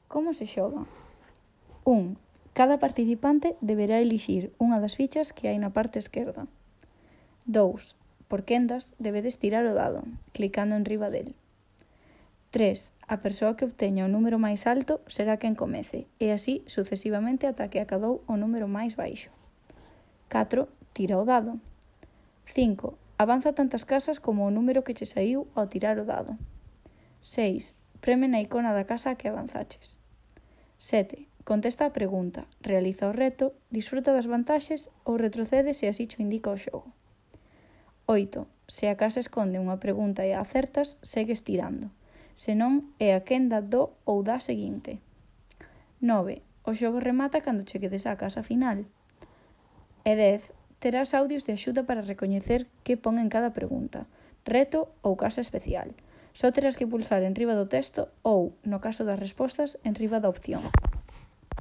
Como se xoga? 1. Cada participante deberá elixir unha das fichas que hai na parte esquerda. 2. Por quendas, debedes tirar o dado, clicando enriba del. 3. A persoa que obteña o número máis alto será quen comece, e así sucesivamente ata que acadou o número máis baixo. 4. Tira o dado. 5. Avanza tantas casas como o número que che saiu ao tirar o dado. 6. Preme na icona da casa a que avanzaches. 7. Contesta a pregunta, realiza o reto, disfruta das vantaxes ou retrocede se así cho indica o xogo. 8. Se a casa esconde unha pregunta e a acertas, segues tirando. Se non, é a quenda do ou da seguinte. 9. O xogo remata cando che quedes á casa final. E 10. Terás audios de axuda para recoñecer que pon en cada pregunta, reto ou casa especial. Só terás que pulsar enriba do texto ou, no caso das respostas, enriba da opción.